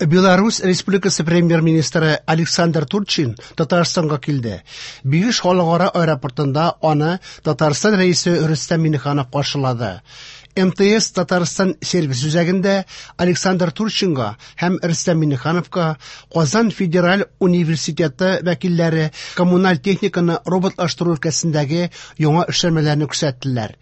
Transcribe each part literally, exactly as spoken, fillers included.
Беларусь Республикасы премьер-министры Александр Турчин Татарстанга килде. Бигеш халыкара аэропортында аны Татарстан рәисе Рөстәм Миңнеханов каршылады. М Т С Татарстан сервис үзәгендә Александр Турчинга һәм Рөстәм Миңнехановка Казан федераль университеты вәкилләре коммуналь техниканы роботлаштыру өлкәсендәге яңа эшләнмәләрне күрсәттеләр.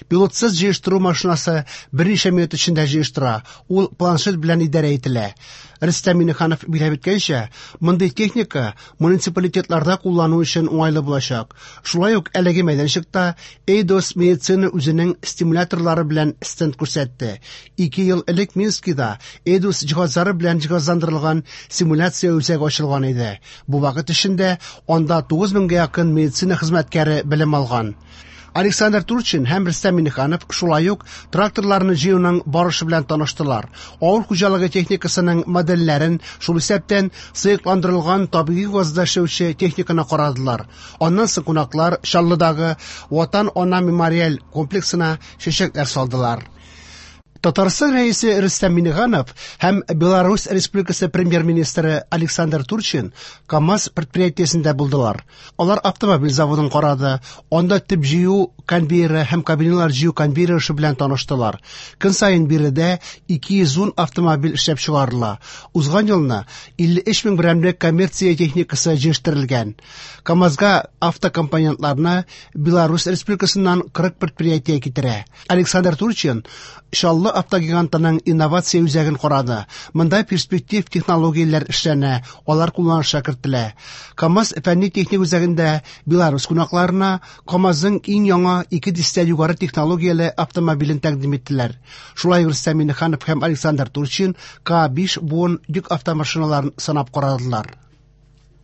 Пилотсыз җыештыру машинасы берничә минут эчендә җыештыра. Ул планшет белән идарә ителә. Рөстәм Миңнеханов билгеләп үткәнчә, мондый техника муниципалитетларда куллану өчен уңайлы булачак. Шулай ук әлеге мәйданчыкта Эйдос медицина үзенең стимуляторлары белән стенд күрсәтте. Ике ел элек Минскида Эйдос җиһазлары белән җиһазландырылган симуляция үзәге ачылган иде. Бу вакыт эчендә анда тугыз меңгә якын медицина хезмәткәре белем алган. Александр Турчин һәм Рөстәм Миңнеханов шулай ук тракторларны җыюның барышы белән таныштылар. Авыл хуҗалыгы техникасының модельләрен, шул исәптән сыекландырылган табигый газда эшләүче техниканы карадылар. Аннан соң кунаклар Чаллыдагы Ватан Ана мемориаль комплексына чәчәкләр салдылар. Татарстан Рәисе Рөстәм Миңнеханов һәм Беларусь Республикасы премьер-министры Александр Турчин КАМАЗ предприятиесендә булдылар. Алар автомобиль заводын карады, анда төп җыю конвейеры һәм кабиналар җыю конвейеры эше белән таныштылар. Көн саен биредә ике йөз ун автомобиль эшләп чыгарыла. Узган елны илле өч мең берәмлек коммерция техникасы җитештерелгән. КАМАЗга автокомпонентларны Беларусь Республикасыннан кырык предприятие китерә. Александр Турчин Чаллы автогигантының инновация үзәген карады. Монда перспектив технологияләр эшләнә, алар кулланышка кертелә. КАМАЗ фәнни-техник үзәгендә Беларусь кунакларына КАМАЗның иң яңа ике дистә югары технологияле автомобилен тәкъдим иттеләр. Шулай ук Рөстәм Миңнеханов һәм Александр Турчин К биш буын йөк автомашиналарын сынап карадылар.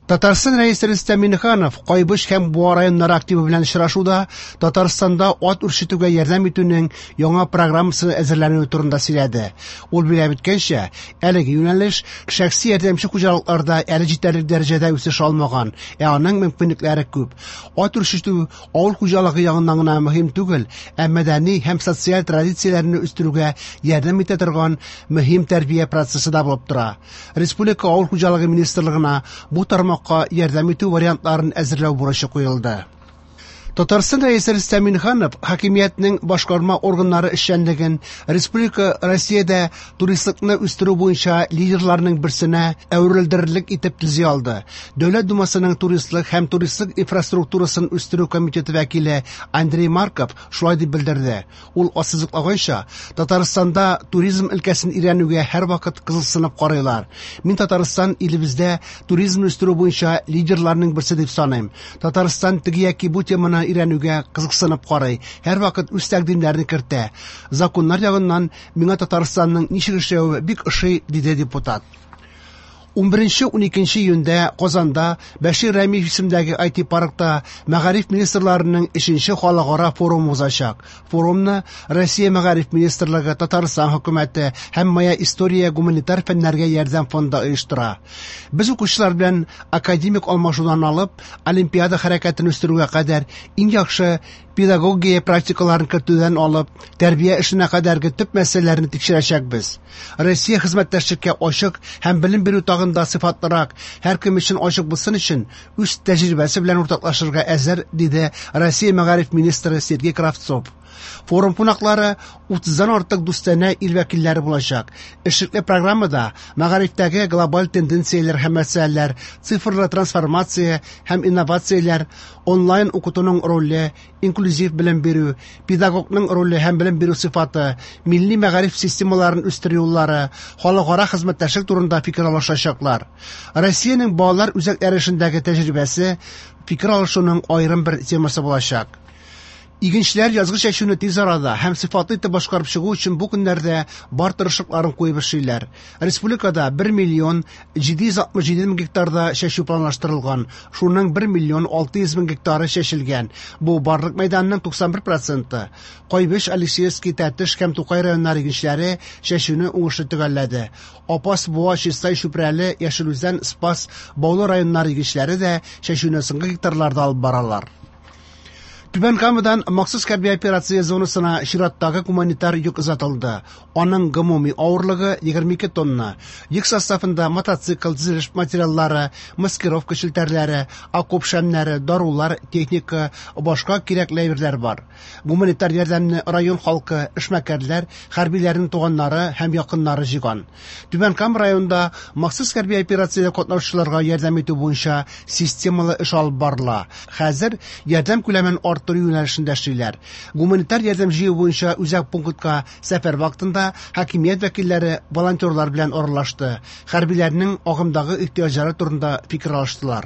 Татарстан Рәисе Рөстәм Миңнеханов Кайбыч һәм Буа районнары активы белән очрашуда Татарстанда ат үрчетүгә ярдәм итүнең яңа программасы әзерләнүе турында сөйләде. Ул билгеләп үткәнчә, әлеге юнәлеш шәхси ярдәмче хуҗалыкларда әле җитәрлек дәрәҗәдә үсеш алмаган, ә аның мөмкинлекләре күп. Ат үрчетү авыл хуҗалыгы ягыннан гына мөһим түгел, ә мәдәни һәм социаль традицияләрне үстерүгә ярдәм итә торган мөһим тәрбия процессы да булып тора. Республика Авыл хуҗалыгы министрлыгына бу тармакка ярдәм итү вариантларын әзерләү бурычы куелды. Татарстан Рәисе Рөстәм Миңнеханов хакимиятнең башкарма органнары эшчәнлеген республика Россиядә туристлыкны үстерү буенча лидерларның берсенә әверелдерерлек итеп төзи алды. Дәүләт Думасының туристлык һәм туристлык инфраструктурасын үстерү комитеты вәкиле Андрей Марков шулай дип белдерде. Ул ассызыклаганча, Татарстанда туризм өлкәсен өйрәнүгә һәрвакыт кызыксынып карыйлар. Мин Татарстан илебездә туризмны үстерү буенча лидерларның берсе дип саныйм. Татарстан теге яки бу теманы өйрәнүгә кызыксынып карый, һәрвакыт үз тәкъдимнәрен кертә. Законнар ягыннан миңа Татарстанның ничек эшләве бик ошый, диде депутат. унберенче-уникенче июньдә Казанда Бәшир Рәмиев исемендәге I T паркта мәгариф министрларының өченче халыкара форумы узачак. Форумны Россия Мәгариф министрлыгы, Татарстан хөкүмәте һәм Моя история гуманитар фәннәргә ярдәм фонды оештыра. Без укучылар белән академик алмашудан алып, олимпиада хәрәкәтен үстерүгә кадәр, иң яхшы педагогия практикаларын кертүдән алып, тәрбия эшенә кадәрге төп мәсьәләләрне тикшерәчәкбез. Россия хезмәттәшлеккә ачык һәм белем бирү тагын да сыйфатлырак, һәркем өчен ачык булсын өчен үз тәҗрибәсе белән уртаклашырга әзер, диде Россия мәгариф министры Сергей Кравцов. Форум кунаклары утыздан артык дустанә ил вәкилләре булачак. Эшлекле программада мәгарифтәге глобаль тенденцияләр һәм мәсьәләләр, цифрлы трансформация һәм инновацияләр, онлайн укытуның роле, инклюзив белем бирү, педагогның роле һәм белем бирү сыйфаты, милли мәгариф системаларын үстерү юллары, халыкара хезмәттәшлек турында фикер алышачаклар. Россиянең балалар үзәкләре эшендәге тәҗрибәсе фикер алышуның аерым бер темасы булачак. Игенчеләр язгы чәчүне тиз арада һәм сыйфатлы итеп башкарып чыгу өчен бу көннәрдә бар тырышлыкларын куеп эшлиләр. Республикада бер миллион җиде йөз алтмыш җиде мең гектарда чәчү планлаштырылган. Шуның бер миллион алты йөз мең гектары чәчелгән. Бу барлык мәйданның туксан бер проценты. Кайбыч, Алексеевский, Тәтеш һәм Тукай районнары игенчеләре чәчүне уңышлы төгәлләде. Апас, Буа, Чистай, Чүпрәле, Яшел Үзән, Спас, Баулы районнары игенчеләре дә чәчүне соңгы гектарларда алып баралар. Түбән Камадан махсус хәрби операция зонасына чираттагы гуманитар йөк озатылды. Аның гомуми авырлыгы егерме ике тонна. Йөк составында мотоцикл, төзелеш материаллары, маскировка челтәрләре, окоп шәмнәре, дарулар, техника, башка кирәкле әйберләр бар. Гуманитар ярдәмне район халкы, эшмәкәрләр, хәрбиләрнең туганнары һәм якыннары җыйган. Түбән Кама районында махсус хәрби операциядә катнашучыларга ярдәм итү буенча системалы эш алып барыла. Хәзер ярдәм күләмен арттыру юнәлешендә эшлиләр. Гуманитар ярдәм җыю буенча үзәк пунктка сәфәр вакытында хакимият вәкилләре волонтерлар белән аралашты. Хәрбиләрнең агымдагы ихтыяҗлары турында фикер алыштылар.